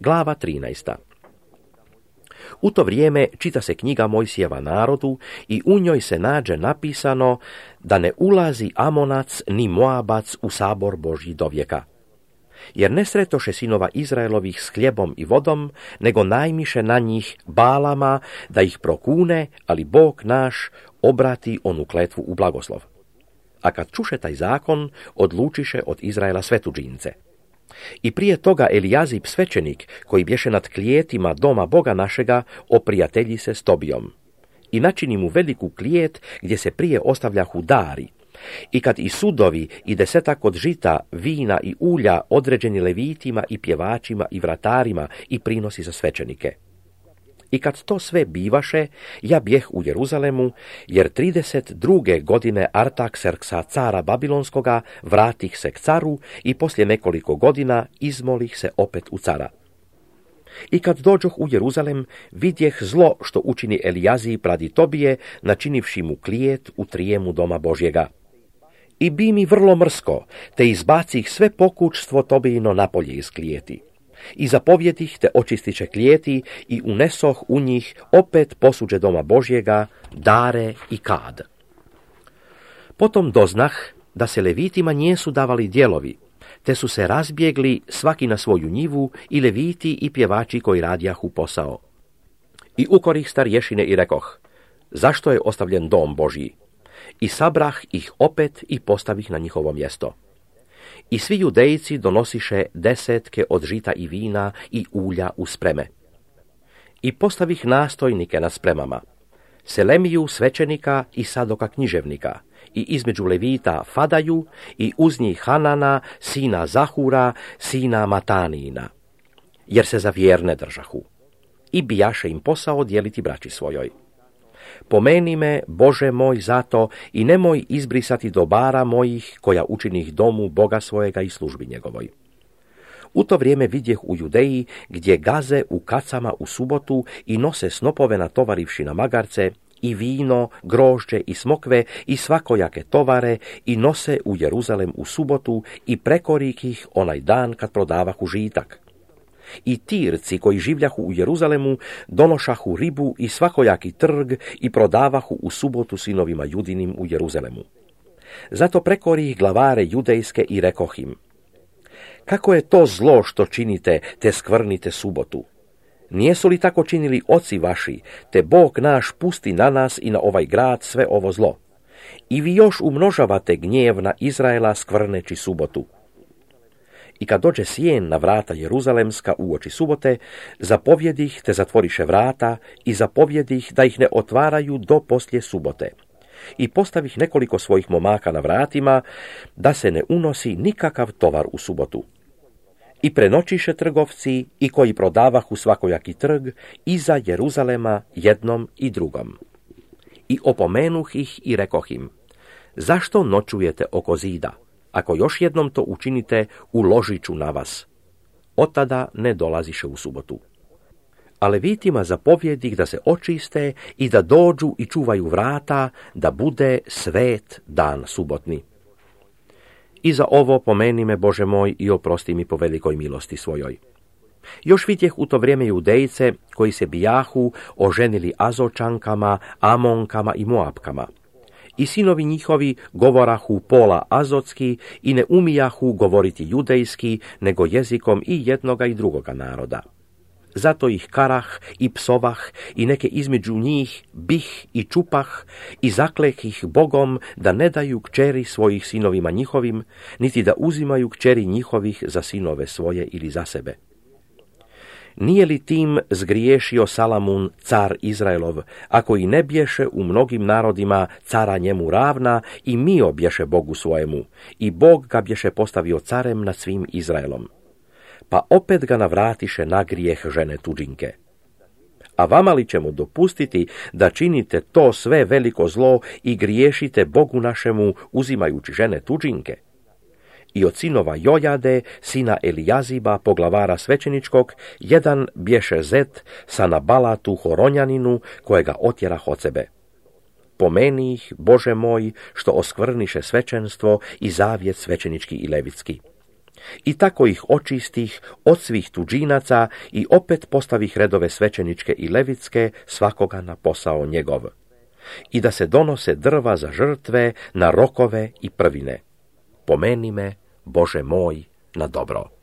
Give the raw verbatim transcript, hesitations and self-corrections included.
Glava trinaesta. U to vrijeme čita se knjiga Mojsijeva narodu i u njoj se nađe napisano da ne ulazi Amonac ni Moabac u sabor Božji dovijeka. Jer ne sretoše sinova Izraelovih s hljebom i vodom, nego najmiše na njih Balama da ih prokune, ali Bog naš obrati onu kletvu u blagoslov. A kad čuše taj zakon, odlučiše od Izraela sve tuđince. I prije toga Elijazib svećenik, koji bješe nad klijetima doma Boga našega, oprijatelji se s Tobijom. I načini mu veliku klijet gdje se prije ostavljahu dari. I kad i sudovi i desetak od žita, vina i ulja određeni levitima i pjevačima i vratarima i prinosi za svećenike. I kad to sve bivaše, ja bjeh u Jeruzalemu, jer trideset druge godine Artakserksa cara Babilonskoga vratih se k caru i poslije nekoliko godina izmolih se opet u cara. I kad dođoh u Jeruzalem, vidjeh zlo što učini Elijazib radi Tobije, načinivši mu klijet u trijemu doma Božjega. I bi mi vrlo mrsko, te izbacih sve pokućstvo Tobijino napolje iz klijeti. I zapovjedih te očistiće klijeti i unesoh u njih opet posuđe doma Božjega, dare i kad. Potom doznah da se levitima nijesu davali dijelovi, te su se razbjegli svaki na svoju njivu i leviti i pjevači koji radjahu posao. I ukorih starješine i rekoh, zašto je ostavljen dom Božji? I sabrah ih opet i postavih na njihovo mjesto. I svi judejci donosiše desetke od žita i vina i ulja u spreme. I postavih nastojnike na spremama, Selemiju svećenika i Sadoka književnika, i između levita Fadaju, i uz njih Hanana, sina Zahura, sina Matanijina, jer se za vjerne držahu. I bijaše im posao dijeliti braći svojoj. Pomeni me, Bože moj, zato i nemoj izbrisati dobara mojih, koja učinih domu Boga svojega i službi njegovoj. U to vrijeme vidjeh u Judeji, gdje gaze u kacama u subotu i nose snopove natovarivši na magarce, i vino, grožđe i smokve i svakojake tovare, i nose u Jeruzalem u subotu i prekorih ih onaj dan kad prodavahu žitak. I Tirci koji življahu u Jeruzalemu donošahu ribu i svakojaki trg i prodavahu u subotu sinovima Judinim u Jeruzalemu. Zato prekori ih glavare judejske i rekoh im, kako je to zlo što činite, te skvrnite subotu? Nijesu li tako činili oci vaši, te Bog naš pusti na nas i na ovaj grad sve ovo zlo? I vi još umnožavate gnjev na Izraela skvrneći subotu. I kad dođe sjen na vrata Jeruzalemska uoči subote, zapovjedih te zatvoriše vrata i zapovjedih da ih ne otvaraju do poslije subote. I postavih nekoliko svojih momaka na vratima, da se ne unosi nikakav tovar u subotu. I prenoćiše trgovci i koji prodavahu svakojaki trg iza Jeruzalema jednom i drugom. I opomenuh ih i rekoh im, zašto noćujete oko zida? Ako još jednom to učinite, uložit ću na vas. Od tada ne dolaziše u subotu. A levitima zapovjedih da se očiste i da dođu i čuvaju vrata, da bude svet dan subotni. I za ovo pomeni me, Bože moj, i oprosti mi po velikoj milosti svojoj. Još vidjeh u to vrijeme Judejce koji se bijahu oženili Azočankama, Amonkama i Moabkama. I sinovi njihovi govorahu pola azotski i ne umijahu govoriti judejski, nego jezikom i jednoga i drugoga naroda. Zato ih karah i psovah i neke između njih bih i čupah i zakleh ih Bogom da ne daju kćeri svojih sinovima njihovim, niti da uzimaju kćeri njihovih za sinove svoje ili za sebe. Nije li tim zgriješio Salamun, car Izraelov, ako i ne bješe u mnogim narodima cara njemu ravna i mio bješe Bogu svojemu, i Bog ga bješe postavio carem nad svim Izraelom. Pa opet ga navratiše na grijeh žene tuđinke. A vama li ćemo dopustiti da činite to sve veliko zlo i griješite Bogu našemu uzimajući žene tuđinke? I od sinova Jojade, sina Elijaziba, poglavara svećeničkog, jedan bješe Zet, sana Balatu Horonjaninu, kojega otjerah od sebe. Pomeni ih, Bože moj, što oskvrniše svećenstvo i zavjet svećenički i levitski. I tako ih očistih od svih tuđinaca i opet postavih redove svećeničke i levitske, svakoga na posao njegov. I da se donose drva za žrtve na rokove i prvine. Pomeni me, Bože moj, na dobro.